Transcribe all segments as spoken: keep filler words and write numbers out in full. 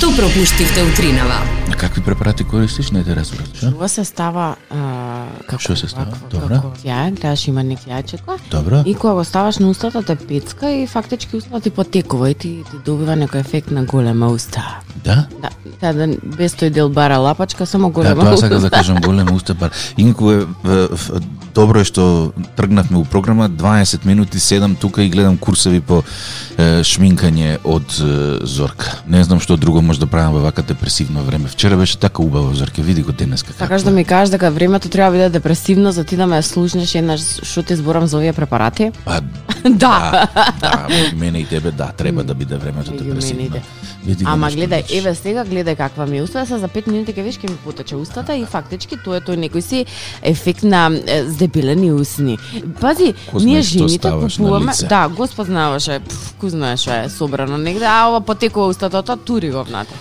Што пропуштивте утринава? А какви препарати користиш? Не те разбирам. Ова се става а, како Што се става? како- Добро. како Ја, гледаш има неки јајчеко. Добро. И кога го ставаш на устата те пецка и фактички устата ти потекува и ти, ти добива некој ефект на голема уста. Да? Да, да, да без тој дел бара лапачка, само Да, голема тоа уста. сакам да кажам голема уста бар. Инку е, е, е, добро е што тргнавме у програма дваесет минути седам тука и гледам курсеви по е, шминкање од е, Зорка. Не знам што друго може да правам во вака депресивно време. Вчера беше така убаво, Зорке, види го денеска. Сакаш да ми кажеш дека времето треба да биде депресивно за ти да ме слушнеш еднаш што ти зборам за овие препарати? Па, Да. да, да, меѓу мене и тебе, да, треба да биде времето Меѓу мене и депресивно. тебе. Види го Ама нешто гледај, вече. еве сега гледај каква ми е уста, се за пет минути ќе виш ќе ми потече устата и фактички тоа е тој некој си ефект на е, здебелени усни. Пази, Ко ние знаеш што жените ставаш на купуваме, лице. да, Господ знаеше, пф, ку знаеш што е собрано негде, а ова потекува устата, тоа тури го внатре.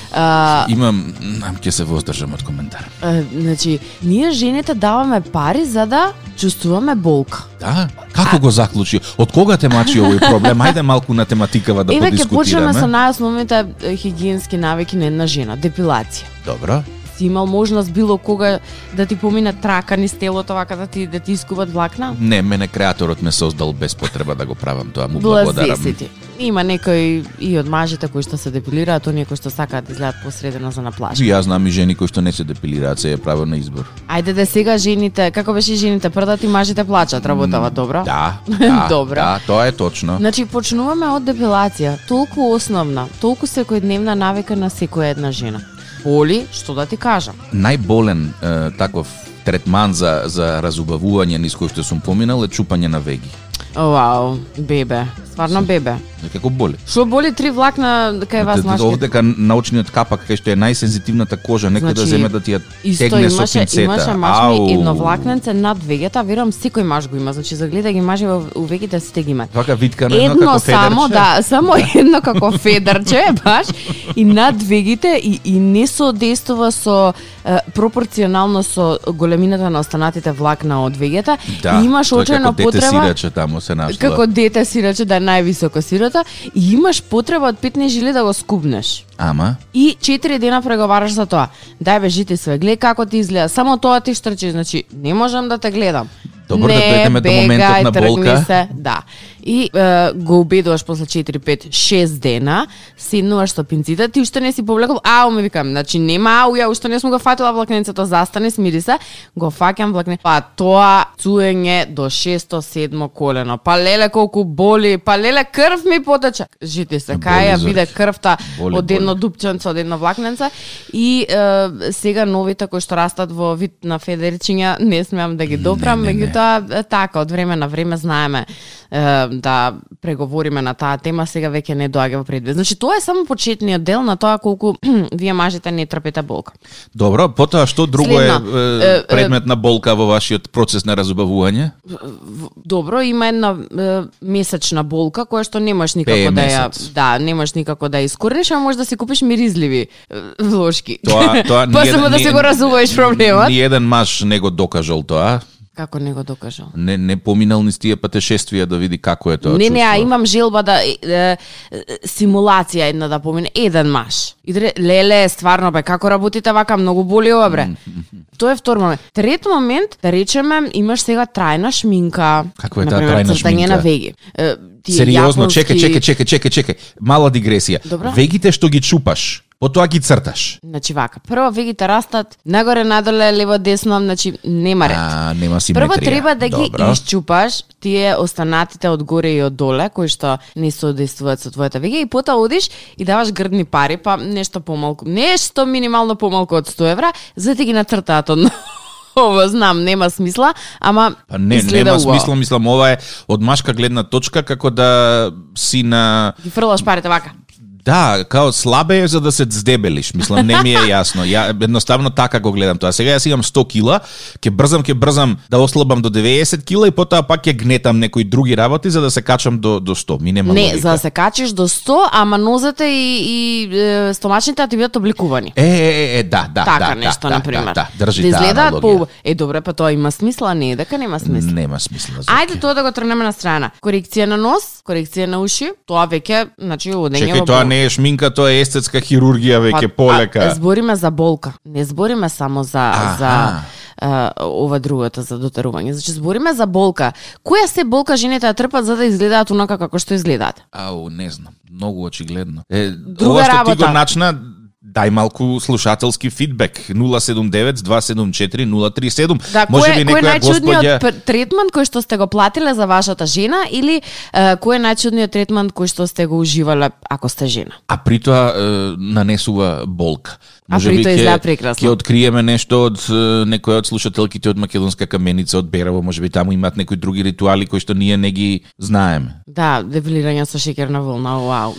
А, Имам, ќе се воздржам од коментар. а, значи, ние жените даваме пари за да чувствуваме болка. Да? Како го заклучи? Од кога те мачи овој проблем? Ајде малку на тематикава да Еве ќе почнеме со подискутираме. најосновните е, хигиенски навики на една жена, депилација. Добро. Си имал можност било кога да ти помине трака низ телото, вака да ти да ти искуват влакна? Не, мене креаторот ме создал без потреба да го правам тоа, му Блазе благодарам. си ти. Има некои и од мажите кои што се депилираат, оние кои што сакаат да изгледаат посредено за на плажа. И јас знам и жени кои што не се депилираат, се е право на избор. Ајде да сега жените, како беше жените прдат и мажите плачат, работава добро? Да, да, Добро. да, тоа е точно. Значи почнуваме од депилација, толку основна, толку секојдневна навика на секоја една жена. Боли, што да ти кажам? Најболен е, таков третман за за разубавување низ кој што сум поминал е чупање на веги. Вау, бебе, стварно бебе. Како боли. Што боли три влакна кај вас машки? Овде кај научниот капак кај што е најсензитивната кожа, некој да Значи, земе да ти ја Исто тегне со имаше, пинцета. имаше маш ми Ау. едно влакненце над вегета, верувам секој маж го има, значи загледај ги мажи во у вегите сите ги имаат. Вака витка на едно, Едно како само, федерче. да, само едно како федерче, баш, и над вегите и, и не соодействува со е, пропорционално со големината на останатите влакна од вегета. Да, И имаш тој очајно како дете потреба сираче таму се нашла. како дете сираче да е највисоко сирота и имаш потреба од петнаесет жили да го скубнеш. Ама, И четири дена преговараш за тоа. Дај бе жити све, гледај како ти изгледа. Само тоа ти штрчи, значи не можам да те гледам. Добро, да не, дојдеме до моментот бегај, на тргни болка. Се, да. И е, го убедуваш после четири, пет, шест дена, седнуваш со пинците, ти уште не си повлекол, ау, ме викам, значи нема ау, ја уште не сум го фатила влакненцето, застани, смири се, го фаќам влакне. Па тоа цуење до шесто, седмо колено. Па леле колку боли, па леле крв ми потече. Жити се, кај ја Боли, биде Зорче. крвта Боли, од едно боли. дупченце, од едно влакненце. И е, сега новите кои што растат во вид на федерчиња, не смеам да ги допрам, Не, не, не. меѓутоа е, така, од време на време знаеме е, да преговориме на таа тема, сега веќе не доаѓа во предвид. Значи тоа е само почетниот дел на тоа колку вие мажите не трпите болка. добро, потоа што друго Следно, е, е, е предмет на болка во вашиот процес на разубавување? В- Добро, има една е, месечна болка која што немаш никако Пее да ја, месец. да, немаш никако да ја искорениш, а можеш да си купиш миризливи е, вложки. Тоа, тоа Па ни само еден- да ни- си го разуваеш проблемот. Ни еден маж не го докажал тоа. Како не го докажал? Не не поминал низ тие патешествија да види како е тоа Не, не, а чувство. имам желба да е, е, е, симулација една да помине еден маж. И да ре- леле, стварно бе, како работите вака, многу боли ова бре. Тоа е втор момент. Трет момент, да речеме, имаш сега трајна шминка. Каква е таа Например, трајна цртање шминка? на веги. Е, тие Сериозно, јапонски- чекај, чекај, чекај, чекај, чекај. Мала дигресија. Добро. Вегите што ги чупаш, потоа ги црташ. Значи вака, прво вегите растат нагоре, надоле, лево, десно, значи нема ред. А, нема симетрија. Прво треба да ги Добро. исчупаш тие останатите од горе и од доле кои што не соодействуваат со твојата вега и потоа одиш и даваш грдни пари, па нешто помалку, нешто минимално помалку од сто евра, за да ти ги нацртаат од Ово знам, нема смисла, ама Па не, изгледа нема убаво. смисла, мислам, ова е од машка гледна точка како да си на Ги фрлаш парите вака. да, као слабе е за да се здебелиш. Мислам, не ми е јасно. Ја едноставно така го гледам тоа. Сега јас имам сто кила, ќе брзам, ќе брзам да ослабам до деветдесет кила и потоа пак ќе гнетам некои други работи за да се качам до до сто. Ми нема Не, логика. за да се качиш до сто, ама нозете и, и е, стомачните да ти бидат обликувани. Е, е, е, да, да, Така да, нешто, да, например. Да, да, држи да таа изгледаат аналогија. по... Е, добре, па тоа има смисла, не е дека нема смисла. Нема смисла. Ајде Зорке. тоа да го тргнеме на страна. Корекција на нос, корекција на уши, тоа веќе, значи, одење Чекај, во тоа болка. не не е шминка, тоа е естетска хирургија веќе полека. А, збориме за болка. Не збориме само за Аха. за а, ова другото за дотарување. Значи збориме за болка. Која се болка жените ја трпат за да изгледаат онака како што изгледаат? Ау, не знам. Многу очигледно. Е, Друга ова што работа. ти го начна, дај малку слушателски фидбек. нула седум девет два седум четири нула три седум. Да, Може кој, би кој е некоја најчудниот господја... третман кој што сте го платиле за вашата жена или е, кој е најчудниот третман кој што сте го уживале ако сте жена? А при тоа е, нанесува болка. А при тоа изгледа прекрасно. Ќе откриеме нешто од е, некој од слушателките од Македонска каменица, од Берево, може би таму имаат некои други ритуали кои што ние не ги знаеме. Да, депилирање со шеќерна волна, вау.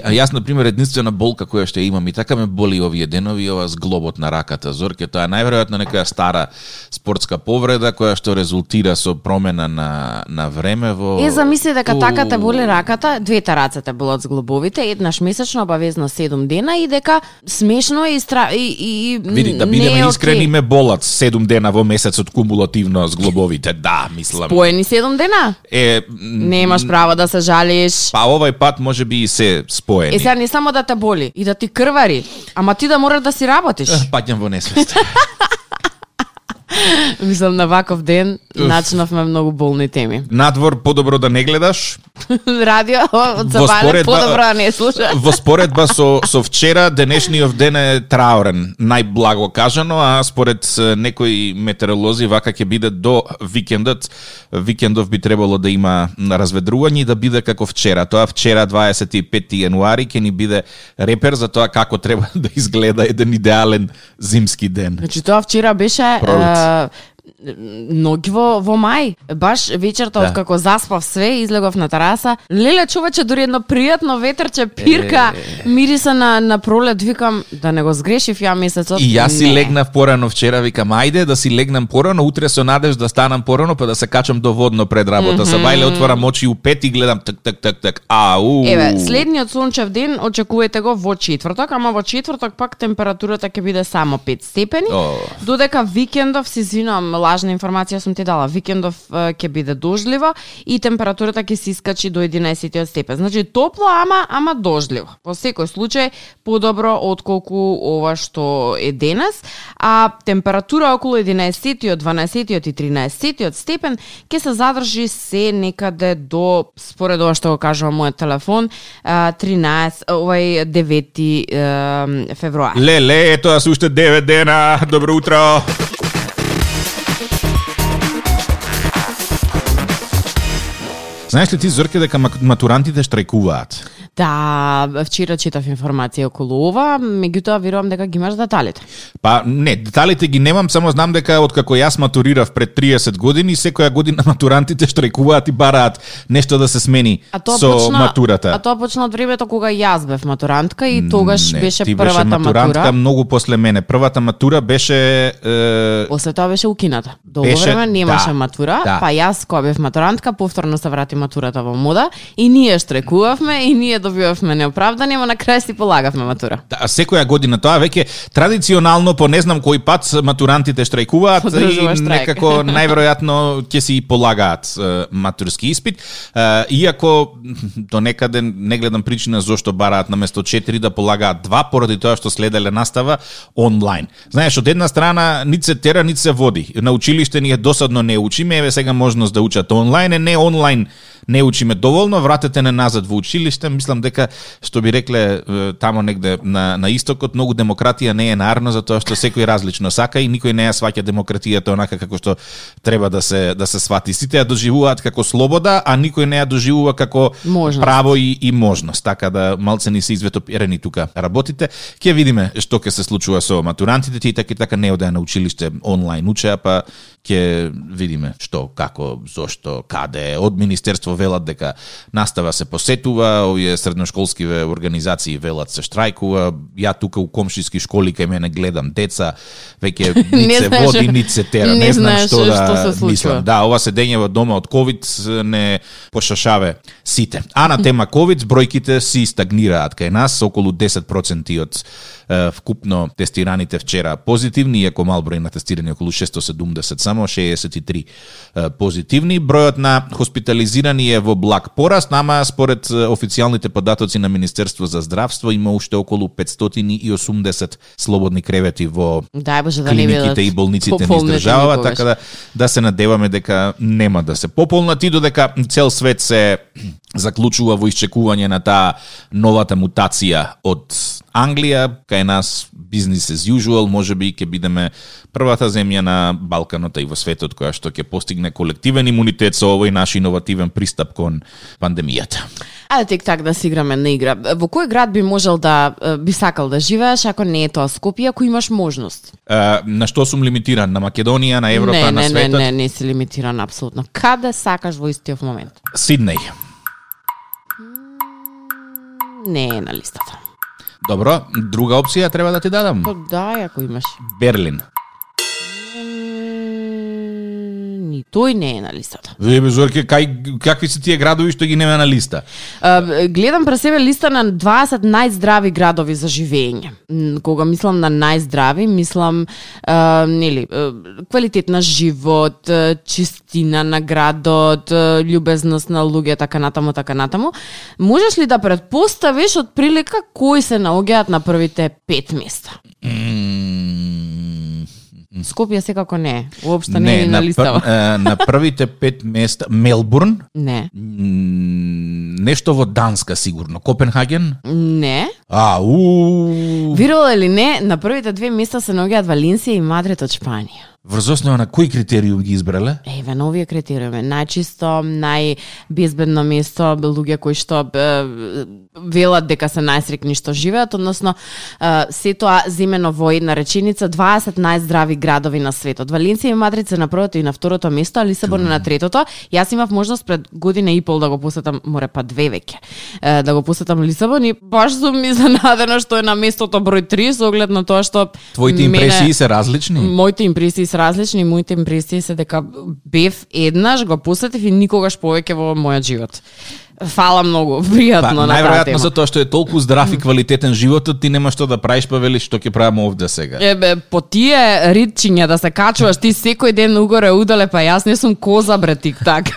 А јас, например, единствена болка која што имам и така ме боли овие денови, ова зглобот на раката. Зорке, тоа е најверојатно некоја стара спортска повреда која што резултира со промена на, на време во... Е, замисли дека У. така те боли раката, двете раце те болат зглобовите, еднаш месечно, обавезно седум дена и дека смешно е и, стра... и, и Види, да не бидеме е искрени, окей. ме болат седум дена во месецот кумулативно зглобовите. Да, мислам. Поени седум дена? Е, Немаш право да се жалиш. па овај пат може би и се споени. Е, сега не само да те боли, и да ти крвари, ама ти да мораш да си работиш. Паѓам во несвест. Мислам, на ваков ден начнавме многу болни теми. Надвор подобро да не гледаш. Радио од Во Сабајле споредба- подобро да не слуша. Во споредба со со вчера, денешниот ден е траурен, најблаго кажано, а според е, некои метеоролози вака ќе биде до викендот. Викендов би требало да има разведрување и да биде како вчера. Тоа вчера дваесет и пети јануари ќе ни биде репер за тоа како треба да изгледа еден идеален зимски ден. Значи тоа вчера беше Пролет. е, ноќ во, во мај. Баш вечерта Да. од како заспав све, излегов на тераса. Леле, човече, дури едно пријатно ветерче пирка, Е. мириса на, на пролет. Викам, да не го сгрешив ја месецот. И јас си Не. легнав порано вчера, викам, ајде да си легнам порано, утре со надеж да станам порано, па да се качам доводно пред работа. Mm -hmm. Сабајле отворам очи у пет и гледам так так так так. Ау. Еве, следниот сончев ден очекувајте го во четврток, ама во четврток пак температурата ќе биде само пет степени. О. Додека викендов, се извинувам, лажна информација сум ти дала, викендов е, ќе биде дожливо и температурата ќе се искачи до единаесет степен. Значи топло, ама ама дожливо. Во секој случај подобро отколку ова што е денес, а температура околу единаесет, дванаесет и тринаесет степен ќе се задржи се некаде до, според ова што го кажува мојот телефон, е, тринаесет, овај девети е, февруари. Леле, ето се уште девет дена. Добро утро. Знаеш ли ти, Зорке, дека мак- матурантите штрајкуваат? Да, вчера читав информација околу ова, меѓутоа верувам дека ги имаш деталите. Па не, деталите ги немам, само знам дека откако јас матурирав пред триесет години, секоја година матурантите штрајкуваат и бараат нешто да се смени со матурата. А тоа почна од времето кога јас бев матурантка и тогаш Не, беше ти првата беше матурантка матура. многу после мене. Првата матура беше е, После тоа беше укината. Долго Беше- време немаше да, матура, да. па јас кога бев матурантка, повторно се врати матурата во мода и ние штрекувавме и ние добивавме неоправдани, ама на крај си полагавме матура. Да, секоја година тоа веќе традиционално по не знам кој пат матурантите штрајкуваат Одржува и штрајк. некако најверојатно ќе си полагаат е, матурски испит. Е, иако до некаде не гледам причина зошто бараат наместо четири да полагаат два, поради тоа што следеле настава онлайн. Знаеш, од една страна нит се тера, нит се води. На училиште ни е досадно не учиме, еве сега можност да учат онлайн, е не онлайн не учиме доволно, вратете не назад во училиште. Мислам дека, што би рекле е, тамо негде на, на истокот, многу демократија не е нарно, затоа што секој различно сака и никој не ја сваќа демократијата онака како што треба да се да се свати. Сите ја доживуваат како слобода, а никој не ја доживува како Можност. право и, и можност. Така да малце ни се изветоперени тука работите. Ќе видиме што ќе се случува со матурантите, тие така и така не одеа на училиште онлайн учеа, па ќе видиме што, како, зошто, каде. Од Министерство велат дека настава се посетува, овие средношколскиве организации велат се штрајкува. Ја тука у комшиски школи кај мене гледам деца, веќе Не нит се знаеш- води, нит се тера. не Не, знам знаеш што да што се случува. мислам. Да, ова седење во дома од ковид не пошашаве сите. А на тема ковид, бројките си стагнираат кај нас, околу десет проценти од вкупно тестираните вчера позитивни, иако мал број на тестирани околу шестоста седумдесет, само шеесет и три позитивни. Бројот на хоспитализирани е во благ пораст, ама според официјалните податоци на Министерство за здравство има уште околу петстотини и осумдесет слободни кревети во Дај Боже, да клиниките и болниците ни издржаваат, така да да се надеваме дека нема да се пополнат и додека цел свет се заклучува во исчекување на таа новата мутација од Англија, кај нас business as usual, можеби ќе бидеме првата земја на Балканот и во светот која што ќе постигне колективен имунитет со овој наш иновативен пристап кон пандемијата. Ајде тек так да си играме на игра. Во кој град би можел да би сакал да живееш ако не е тоа Скопје, ако имаш можност? Uh, на што сум лимитиран? На Македонија, на Европа, не, на не, светот? Не, не, не си лимитиран апсолутно. Каде сакаш во истиот момент? Сиднеј. Не е на листата. Добро, друга опција треба да ти дадам. Па да, ако имаш. Берлин. Ни тој не е на листата. Ве, Зорке, кај, какви се тие градови што ги нема на листа? Uh, гледам пред себе листа на дваесет најздрави градови за живење. Кога мислам на најздрави, мислам uh, нели, uh, квалитет на живот, uh, чистина на градот, uh, љубезност на луѓе, така натаму, така натаму. Можеш ли да претпоставиш од прилика кои се наоѓаат на првите пет места? Скопје секако не е. Уопшто не, не е на, на листава. Пр, на првите пет места Мелбурн? Не. Нешто во Данска сигурно. Копенхаген? Не. А, у. Верувал или не, на првите две места се наоѓаат Валенсија и Мадрид од Шпанија. Врз основа на кој критериум ги избрале? Еве, на овие критериуми. Најчисто, најбезбедно место, луѓе кои што е, велат дека се најсрекни што живеат, односно е, се тоа земено во една реченица дваесет најздрави градови на светот. Валенсија и Мадрид се на првото и на второто место, а Лисабон е на третото. Јас имав можност пред година и пол да го посетам, море па две веќе, е, да го посетам Лисабон и баш сум изненадена што е на местото број три со оглед на тоа што твоите импресии се различни? Моите импресии се различни, моите импресии се дека бев еднаш, го посетив и никогаш повеќе во мојот живот. Фала многу, пријатно па, на таа тема. Најверојатно затоа што е толку здрав и квалитетен животот, ти нема што да правиш, па велиш што ќе правам овде сега. Ебе, по тие ритчиња да се качуваш ти секој ден угоре удале, па јас не сум коза бре тик-так.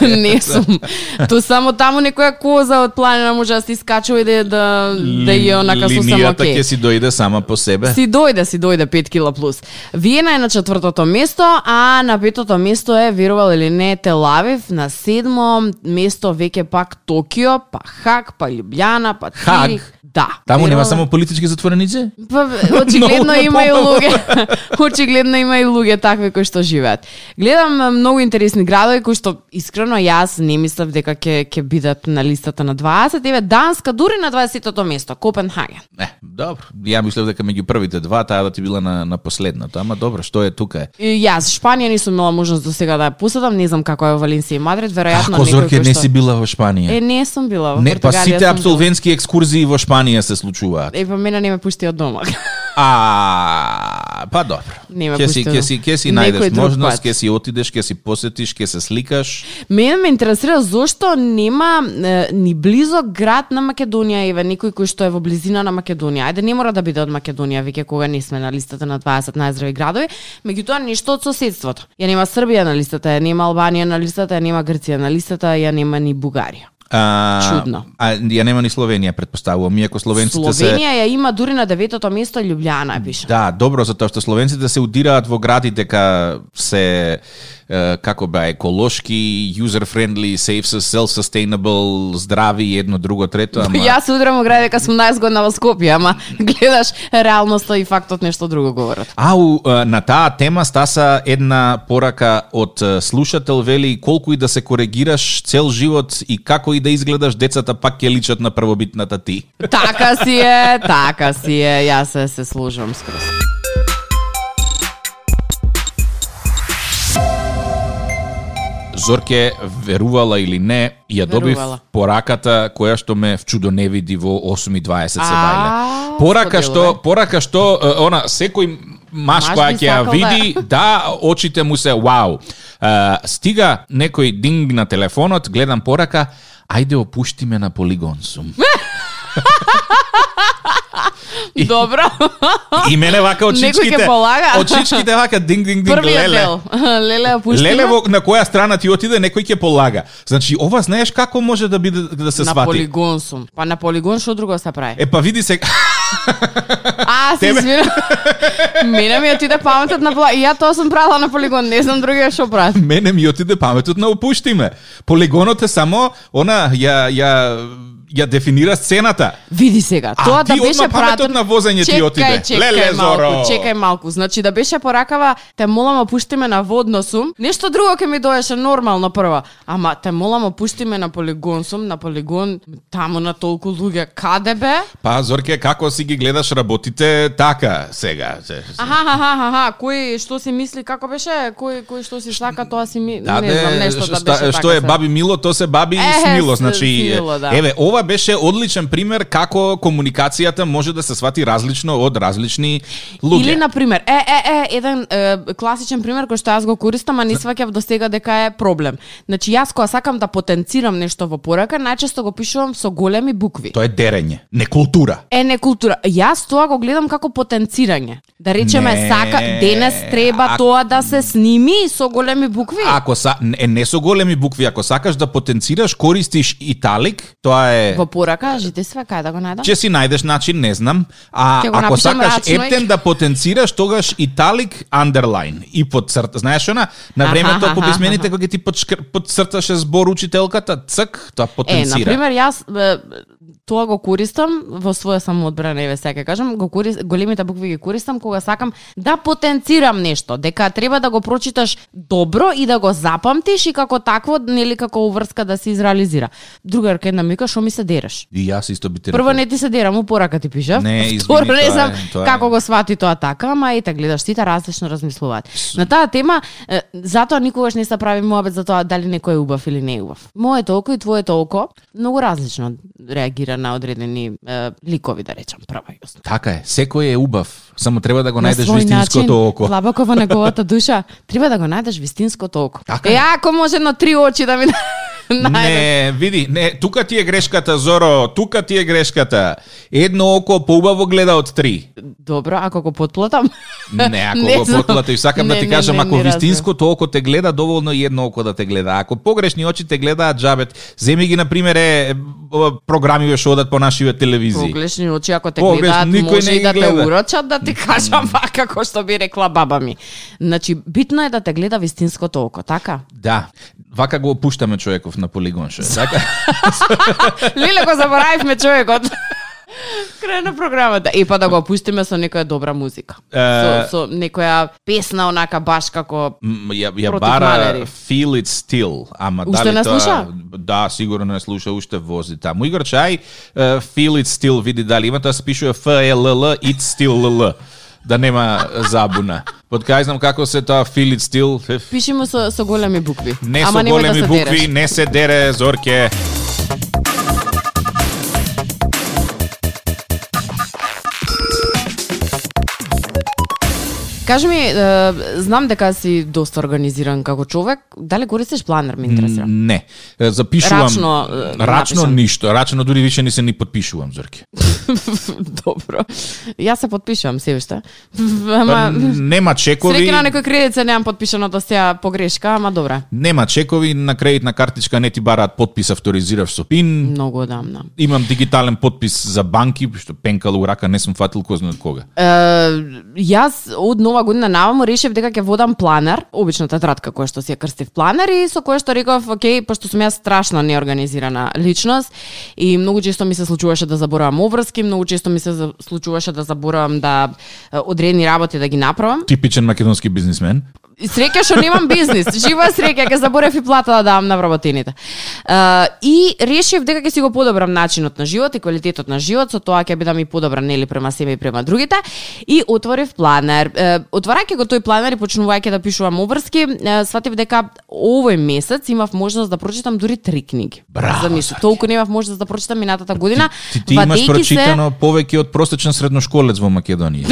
Не сум. Ту само таму некоја коза од планина може да се искачува и да да, да е онака со само линијата окей. ќе си дојде сама по себе. Си дојде, си дојде пет кила плюс. Виена е на четвртото место, а на петото место е, верувал или не, Тел Авив, на седмо место веќе пак Токио, па Хаг, па Љубљана, па Цирих. Да. Таму нема само политички затвореници? Па очигледно има и луѓе. Очигледно има и луѓе такви кои што живеат. Гледам многу интересни градови кои што искрено јас не мислев дека ќе ќе бидат на листата на дваесет. Еве Данска дури на дваесетото место, Копенхаген. Не, добро. Ја мислев дека меѓу првите два таа да ти била на на последното, ама добро, што е тука? И јас Шпанија не сум имала можност до сега да ја посетам, не знам како е во Валенсија и Мадрид, веројатно некој Зорке не си била во Шпанија. Е, не сум била во Не, па Португалија. сите апсолвентски екскурзии во Шпанија се случуваат. Е, па мене не ме пушти од дома. А, па добро. Ќе си ќе си ќе си најдеш можност, ќе си отидеш, ќе си посетиш, ќе се сликаш. Мене ме интересира зошто нема е, ни близо град на Македонија, еве некој кој што е во близина на Македонија. Ајде не мора да биде од Македонија, веќе кога не сме на листата на дваесет најздрави градови, меѓутоа нешто од соседството. Ја нема Србија на листата, ја нема Албанија на листата, ја нема Грција на листата, ја нема ни Бугарија. А, Чудно. А ја нема ни Словенија, претпоставувам, иако словенците Словенија се Словенија ја има дури на деветото место, Љубљана пише. Да, добро, затоа што словенците се удираат во гради дека се како бе еколошки, user friendly, safe, self-sustainable, здрави, едно, друго, трето, ама Јас се удрам во гради дека сум најзгодна во Скопје, ама гледаш реалноста и фактот нешто друго говорат. Ау, на таа тема стаса една порака од слушател, вели колку и да се коригираш цел живот и како и да изгледаш, децата пак ќе личат на првобитната ти. Така си е, така си е, јас се, се служам скроз. Зорке, верувала или не, ја добив Верувала. пораката која што ме вчудоневиди во осум и дваесет се бајле. А, Порака што, споделувај. порака што, е, она, секој маш Маш која би ќе ја сакал види, да, очите му се вау. Е, стига некој динг на телефонот, гледам порака, ајде опушти ме на полигон сум. Добро. И мене вака од Некој чичките. ќе полага. Од чичките вака динг динг динг Првиот леле. дел. Леле, опуштиме. Леле во, на која страна ти отиде, некој ќе полага. Значи, ова знаеш како може да биде да се На свати? полигон сум. Па на полигон што друго се прави? Е па види се. А, се извинувам. Мене ми отиде паметот на полигон. И ја тоа сум правила на полигон, не знам другија што прават. Мене ми отиде паметот на опуштиме. Полигонот е само она ја ја ја дефинира сцената. Види сега, А, тоа ти да беше одма паметот пратен... на возење ти Чекај, отиде. Чекај, Леле, малку, Зоро. чекај малку. Значи да беше поракава, те молам опуштиме на водно сум. Нешто друго ќе ми доеше нормално прво. Ама те молам опуштиме на полигон сум, на полигон таму на толку луѓе. Каде бе? Па, Зорке, како си ги гледаш работите така сега? Аха, аха, аха, кој што си мисли, како беше? Кој кој што си сака, тоа си ми... Да, не знам, нешто да шта- беше што така е се. баби мило, то се баби Е, смило. с- Значи, смило, да. еве, ова беше одличен пример како комуникацијата може да се свати различно од различни луѓе. Или на пример, е е е еден е, класичен пример кој што јас го користам, а не сваќав до сега дека е проблем. Значи јас кога сакам да потенцирам нешто во порака, најчесто го пишувам со големи букви. Тоа е дерење, не култура. Е, не култура. Јас тоа го гледам како потенцирање. Да речеме, Не, сака денес треба а- тоа да се сними со големи букви. Ако са, не, не со големи букви, ако сакаш да потенцираш, користиш италик, тоа е... Во порака, жите све кај да го најдам? Че си најдеш начин, не знам. А Ќе го ако напишам сакаш рачно и- ептен да потенцираш, тогаш италик underline и подцрта. Знаеш она? На Аха, времето аха, по писмените аха. кога ти подшкр- подцрташе збор учителката, цк, тоа Е, потенцира. на пример, јас е, тоа го користам во своја самоодбрана, еве сега кажам, го користам, големите букви ги користам кога сакам да потенцирам нешто, дека треба да го прочиташ добро и да го запамтиш и како такво, нели како уврска да се изреализира. Другарка една ми вика, што ми се дереш? И јас исто би те Прво рекол. не ти се дерам, у порака ти пишав. Не, извини, Второ, не тоа знам е- тоа е. како го свати тоа така, ама ете гледаш, сите различно размислуваат. На таа тема, е, затоа никогаш не се прави моабет за тоа дали некој е убав или не е убав. Моето око и твоето око многу различно реагира на одредени е, ликови, да речам, прва јасно. Така е, секој е убав, само треба да го На најдеш свој вистинското начин, око. длабоко во неговата душа, треба да го најдеш вистинското око. Така Е, е. ако може на три очи да ми најдеш. Не, види, не, тука ти е грешката, Зоро, тука ти е грешката. Едно око поубаво гледа од три. Добро, ако го потплатам. Не, ако Не го знам. потплатиш, сакам Не, да ти не, кажам, не, ако не разбирам. вистинското око те гледа, доволно и едно око да те гледа. Ако погрешни очи те гледаат, джабет. Земи ги, например, е, ова, програми што одат по нашиве телевизии. Погрешни очи, ако те Погреш- гледаат, никој може не и ги да те гледа. урочат, да ти кажам вака, како што би рекла баба ми. Значи, битно е да те гледа вистинското око, така? Да, вака го опуштаме човеков на полигон, шо е, така? Леле, го заборавивме човекот. Крај на програмата. И па да го опуштиме со некоја добра музика. Е, Со, со некоја песна, онака баш како... М, Ја, ја Против бара малери. Feel It Still, ама Уште дали не тоа... слуша? Да, сигурно не слуша, уште вози таму. Игор Чај, uh, Feel It Still, види дали има, тоа се пишува F E L L, It Still L L, да нема забуна. Под кај знам како се тоа Feel It Still, еф, Пиши му со, со големи букви. не Ама со немој големи да се букви, дереш. не се дере, Зорке. Кажи ми, е, знам дека си доста организиран како човек. Дали користиш планер, ме интересира? Не, Е, запишувам Рачно, е, рачно напишам. ништо, рачно дури више не се ни подпишувам, Зорке. Добро. Јас се подпишувам се уште. Ама Нема чекови. среќа на некој кредит се немам подпишано да сега погрешка, ама добра. Нема чекови, на кредитна картичка не ти бараат подпис, авторизираш со пин. Многу одамна. Имам дигитален подпис за банки, што пенкала у рака не сум фатил кој знае од кога. Е, јас од нова година наваму решив дека ќе водам планер, обична тетрадка која што си ја крстив планер и со која што реков, окей, пошто сум јас страшно неорганизирана личност и многу често ми се случуваше да заборавам обврски, многу често ми се за- случуваше да заборавам да е, одредени работи да ги направам. Типичен македонски бизнисмен. И среќа што немам бизнис, жива среќа, ќе заборев и плата да давам на вработените. Uh, и решив дека ќе си го подобрам начинот на живот и квалитетот на живот, со тоа ќе бидам и подобра нели према себе и према другите. И отворив планер. Uh, отварајќи го тој планер и почнувајќи да пишувам обврски, uh, сватив дека овој месец имав можност да прочитам дури три книги. Браво, Замисли, Сарки. толку немав можност да прочитам минатата година. Ти, ти имаш вадејќи прочитано повеќе од просечен средношколец во Македонија.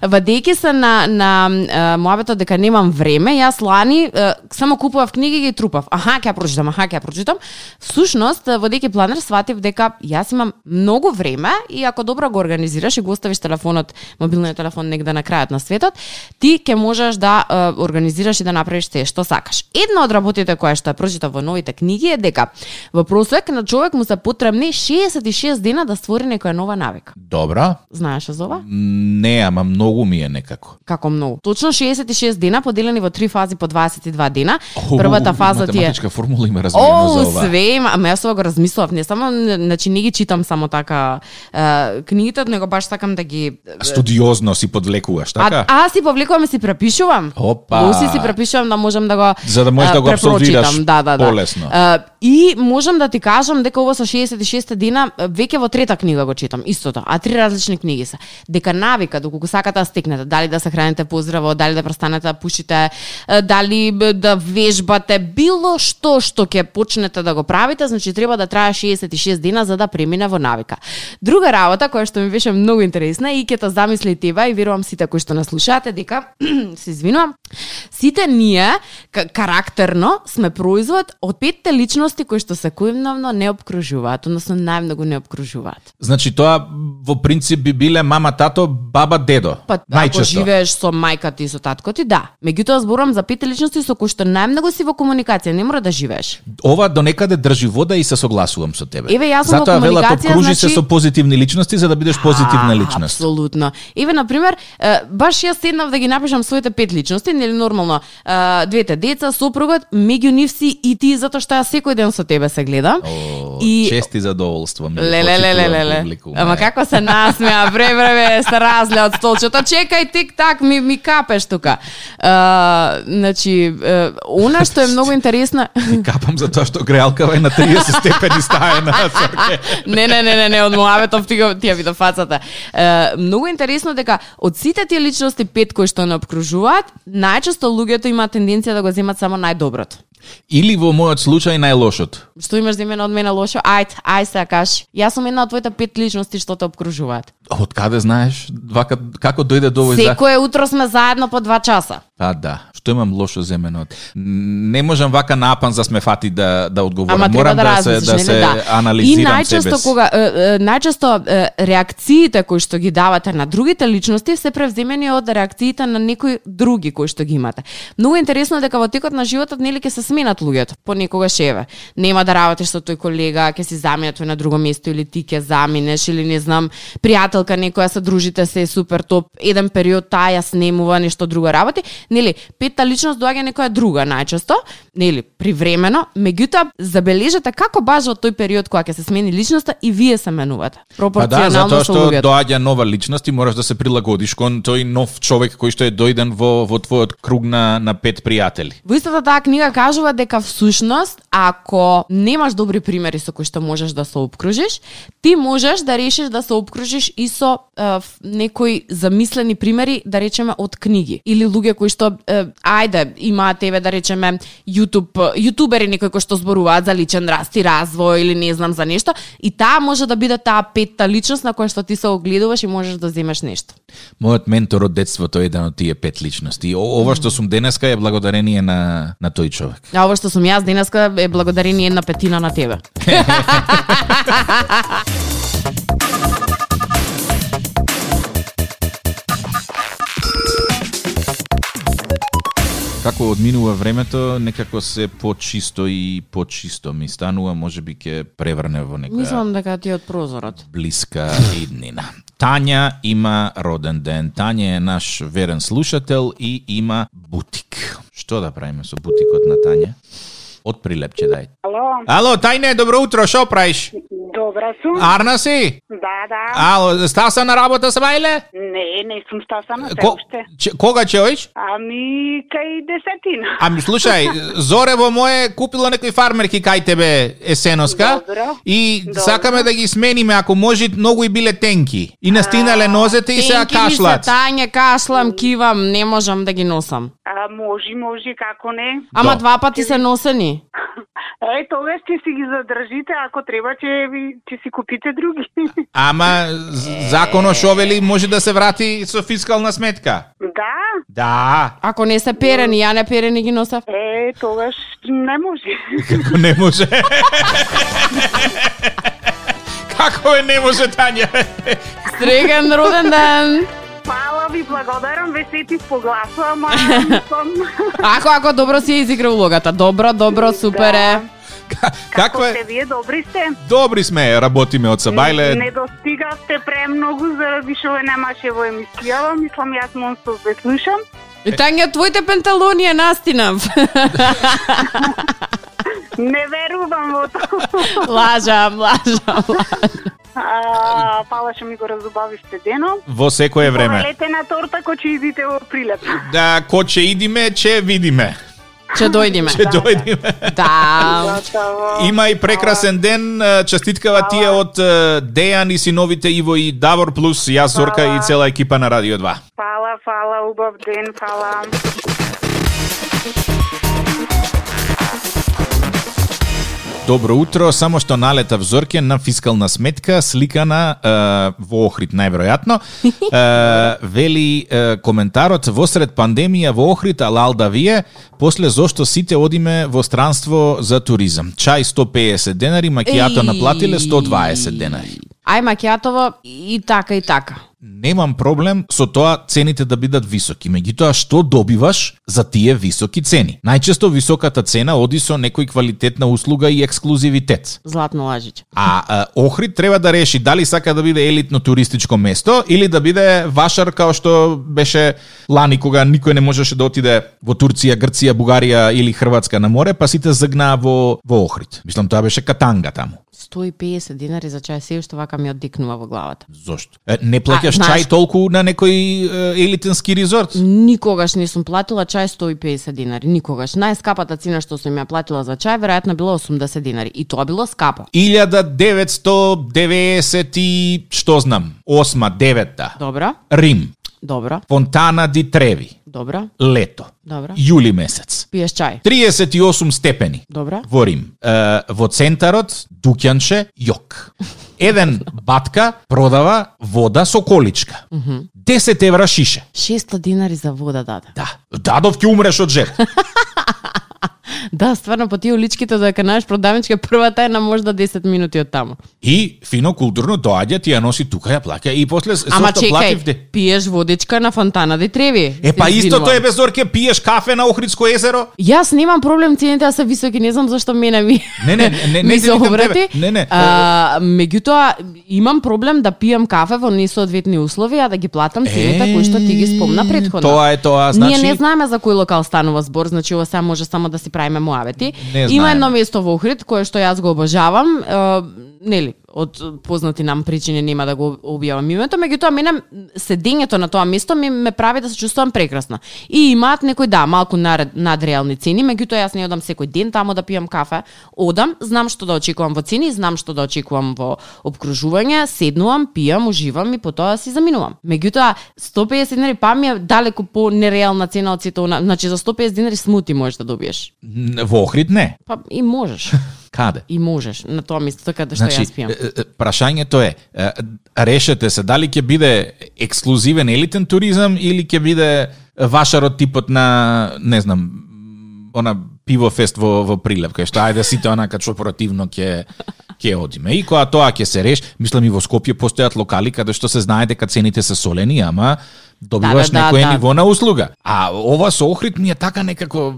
Вадејќи се на на uh, моабетот дека немам време време, јас лани е, само купував книги и ги трупав. Аха, ќе ја прочитам, аха, ќе ја прочитам. Всушност, водејќи планер, сватив дека јас имам многу време и ако добро го организираш и го оставиш телефонот, мобилниот телефон негде на крајот на светот, ти ќе можеш да е, организираш и да направиш се што сакаш. Една од работите која што ја прочитав во новите книги е дека во просек на човек му се потребни шеесет и шест дена да створи некоја нова навика. Добра. Знаеш за ова? Не, ама многу ми е некако. Како многу? Точно шеесет и шест дена поделени во три фази по дваесет и два дена. О, Првата фаза ти е математичка формула има размиено за ова. О, све има, ама јас ова го размислував, не само, значи не ги читам само така е, книгите, него баш сакам да ги студиозно си подвлекуваш, така? А, а си повлекувам и си препишувам. Опа. Си си препишувам да можам да го за да можеш да го апсолвираш да, да, да. полесно. Uh, и можам да ти кажам дека ова со шеесет и шест дена веќе во трета книга го читам, истото, а три различни книги се. Дека навика, доколку сакате да стекнете, дали да се храните поздраво, дали да престанете да пушите, дали да вежбате, било што што ќе почнете да го правите, значи треба да трае шеесет и шест дена за да премине во навика. Друга работа која што ми беше многу интересна и ќе те замисли тебе и верувам сите кои што нас слушаате дека се извинувам, сите ние карактерно сме производ од петте личности кои што секојдневно не обкружуваат, односно најмногу не обкружуваат. Значи тоа во принцип би биле мама, тато, баба, дедо. Па ако живееш со мајка ти и со татко ти, да. Меѓутоа зборам за петте личности со кои што најмногу си во комуникација, не мора да живееш. Ова до некаде држи вода и се согласувам со тебе. Еве јас сум во комуникација, велат обкружи значи... се со позитивни личности за да бидеш позитивна личност. Апсолутно. Еве на пример, баш јас седнав да ги напишам своите пет личности, нели нормално, двете деца, сопругот, меѓу нив си и ти затоа што јас секој ден со тебе се гледам. О, и чести задоволство ми. Лелелелеле. Ама како се насмеа, превреве се разле од столчето. Чекај, тик-так, ми, ми капеш тука. Uh, значи, uh, она што е многу интересно... Капам за тоа што греалкава е на триесет степени стаена. не, не, не, не, не, од Моаветов ти ја вида фацата. Uh, многу интересно дека од сите тие личности пет кои што не обкружуваат, најчесто луѓето имаат тенденција да го земат само најдоброто. Или во мојот случај најлошото. Што имаш за мене од мене лошо? Ајд, ај се кажи. Јас сум една од твоите пет личности што те обкружуваат. Од каде знаеш? Вака, како дојде до овој за... Секое утро сме заедно по два часа. А, да. Што имам лошо за мене од... Не можам вака напан за сме фати да, да одговорам. Ама Морам да, да, размислиш, се, да не, се да. анализирам и најчесто себе си. Кога, е, е, најчесто е, реакциите кои што ги давате на другите личности се превземени од реакциите на некои други кои што ги имате. Многу интересно дека во текот на животот нели ќе се сменат луѓето. Понекогаш еве, нема да работиш со тој колега, ќе си замине тој на друго место или ти ќе заминеш или не знам, пријателка некоја се дружите се супер топ, еден период таа ја снемува нешто друго работи, нели, петта личност доаѓа некоја друга најчесто, нели, привремено, меѓутоа забележете како баш во тој период кога ќе се смени личноста и вие се менувате. Пропорционално па да, со затоа луѓето. што доаѓа нова личност и мораш да се прилагодиш кон тој нов човек кој што е дојден во во твојот круг на на пет пријатели. Во истата таа книга кажува дека всушност ако немаш добри примери со кои што можеш да се обкружиш, ти можеш да решиш да се обкружиш и со е, некои замислени примери, да речеме од книги или луѓе кои што е, ајде имаат еве да речеме YouTube, јутубери некои кои што зборуваат за личен раст и развој или не знам за нешто и таа може да биде таа петта личност на која што ти се огледуваш и можеш да земеш нешто. Мојот ментор од детството е еден од тие пет личности. О, ова што сум денеска е благодарение на на тој човек. А ова што сум јас денеска е благодарение една петина на тебе. Како одминува времето, некако се почисто и почисто ми станува, можеби ќе преврне во некоја... Мислам дека ти од прозорот. Блиска иднина. Тања има роден ден. Тања е наш верен слушател и има бутик. Што да правиме со бутикот на Тања? Од прилепче дај. Ало. Ало, Тајне, добро утро, шо правиш? Добра сум. Арна си? Да, да. Ало, стаса на работа се бајле? Не, не сум стасана се Ко, уште. че, кога ќе оиш? Ами, кај десетина. Ами слушај, Зорево моje купило некои фармерки кај тебе есеноска. Добро. И Добро. сакаме да ги смениме, ако може, многу и биле тенки. И настинале нозете и сега Тенки ми се, кашлат. Тања, кашлам, кивам, не можам да ги носам. А, може, може, како не. Ама Да. два пати се носени. Е, тогаш ќе си ги задржите, ако треба ќе ви ќе си купите други. Ама з- законо шо вели може да се врати со фискална сметка. Да. Да. Ако не се перени, ја не перени ги носев. Е, тогаш не може. Како не може? Како е не може, Тања? Среќен роден ден. Фала ви, благодарам, ве сетив по гласо, ама мислам... Ако, ако добро си изигра улогата. Добро, добро, супер е. Како е? Сте вие, добри сте? Добри сме, работиме од Сабајле. Не достигавте премногу заради што ве немаше во емисијава, мислам јас монстов ве слушам. И Тања, твоите пенталони е настинав. Не верувам во тоа. Лажам, лажам, лажам. А, фала што ми го разубавивте денот. Во секое време. Повелете на торта кој ќе идите во Прилеп. Да, ко ќе идиме, ќе видиме. Ќе дојдиме. Ќе дојдиме. Да. Има и прекрасен ден. Честиткава тие од Дејан и синовите Иво и Давор плюс јас, Зорка и цела екипа на Радио два. Фала, фала, убав ден, фала. Добро утро, само што налетав Зорке на фискална сметка, сликана е, во Охрид, најверојатно. Е, вели е, коментарот, восред пандемија во Охрид, алал да вие, после зошто сите одиме во странство за туризам. Чај сто пеесет денари, макијато наплатиле сто дваесет денари. Ај макијатово и така и така. Немам проблем со тоа цените да бидат високи, меѓутоа што добиваш за тие високи цени? Најчесто високата цена оди со некој квалитетна услуга и ексклузивитет. Златно лажич. А, а Охрид треба да реши дали сака да биде елитно туристичко место или да биде вашар као што беше лани кога никој не можеше да отиде во Турција, Грција, Бугарија или Хрватска на море, па сите загнаа во во Охрид. Мислам тоа беше Катанга таму. сто и пеесет динари за чај, се уште вака ми оддикнува во главата. Зошто? Е, не плаќаш А, знаеш... чај толку на некој е, елитенски резорт? Никогаш не сум платила чај сто и пеесет динари, никогаш. Најскапата цена што сум ја платила за чај веројатно било осумдесет динари и тоа било скапо. илјада деветсто деветдесет и што знам, осма, девета. Добра? Рим. Добра. Фонтана ди Треви. Добра. Лето. Добра. Јули месец. Пиеш чај. триесет и осум степени. Добра. Во Рим. Е, во центарот дуќанче јок. Еден батка продава вода со количка. десет евра шише. шеста динари за вода даде. Да. Дадов ќе умреш од жед. Да, стварно по тие уличките додека најдеш продавничка првата е на можда десет минути од таму. И фино културно доаѓа, ти ја носи тука, ја плаќа и после Ама зошто чекај, плативте? пиеш водичка на Фонтана ди Треви. Е па Се истото извинувам. е без Зорке, пиеш кафе на Охридско езеро? Јас немам проблем цените да се високи, не знам зашто мене ми Не, не, не, не, ми не се викам обрати. тебе. Не, не. А, меѓутоа имам проблем да пијам кафе во несоодветни услови, а да ги платам цените кои што ти ги спомна претходно. Тоа е тоа, значи. Ние не знаеме за кој локал станува збор, значи ова сега може само да си правиме муавети. Не Има знаеме. едно место во Охрид кое што јас го обожавам, е, нели, од познати нам причини нема да го објавам името, меѓутоа мене седењето на тоа место ми ме прави да се чувствувам прекрасно. И имаат некој да малку над, надреални цени, меѓутоа јас не одам секој ден таму да пијам кафе. Одам, знам што да очекувам во цени, знам што да очекувам во опкружување, седнувам, пијам, уживам и потоа си заминувам. Меѓутоа сто пеесет динари па ми е далеку по нереална цена од сите она, значи за сто пеесет динари смути можеш да добиеш. Во Охрид не. Па и можеш. Каде? И можеш на тоа место каде што Значи, јас пијам. е, е, прашањето е, е, решете се дали ќе биде ексклузивен елитен туризам или ќе биде вашарот типот на, не знам, она пивофест во во Прилеп, кај што ајде сите онака корпоративно ќе ќе одиме. И кога тоа ќе се реши, мислам и во Скопје постојат локали каде што се знае дека цените се солени, ама добиваш Да, да, некој да, ниво на услуга. А ова со Охрид ми е така некако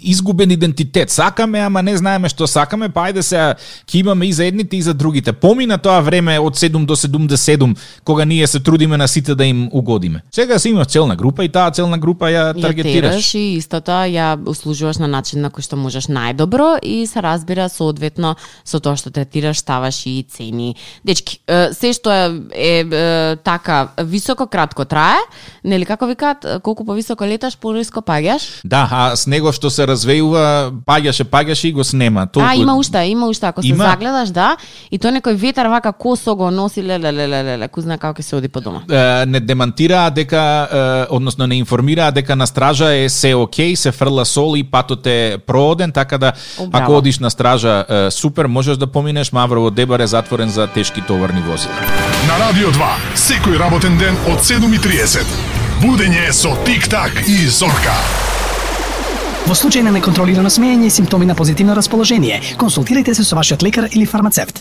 изгубен идентитет. Сакаме, ама не знаеме што сакаме, па ајде сега ќе имаме и за едните и за другите. Помина тоа време од седум до седумдесет и седум, кога ние се трудиме на сите да им угодиме. Сега си имаш целна група и таа целна група ја Ја таргетираш. тераш и истото ја услужуваш на начин на кој што можеш најдобро и се разбира соодветно со тоа што третираш, ставаш и цени. Дечки, е, се што е, е, е така високо кратко трае, нели како викаат, колку повисоко леташ, пониско паѓаш? Да, а снегов што се развејува, паѓаше, паѓаше и го снема. Толку... А, има уште, има уште, ако се Има? загледаш, да, и тоа некој ветар вака косо го носи, леле, леле, леле, кој знае како ќе се оди по дома. Е, не демантираа дека, е, односно не информираа дека на стража е се окей, се фрла сол и патот е прооден, така да О, ако браво. одиш на стража, е, супер, можеш да поминеш, Маврово Дебар е затворен за тешки товарни возила. На Радио два, секој работен ден од седум и триесет. Будење со Тик-так и Зорка. Во случај на неконтролирано смеење и симптоми на позитивно расположение, консултирайте се со вашиот лекар или фармацевт.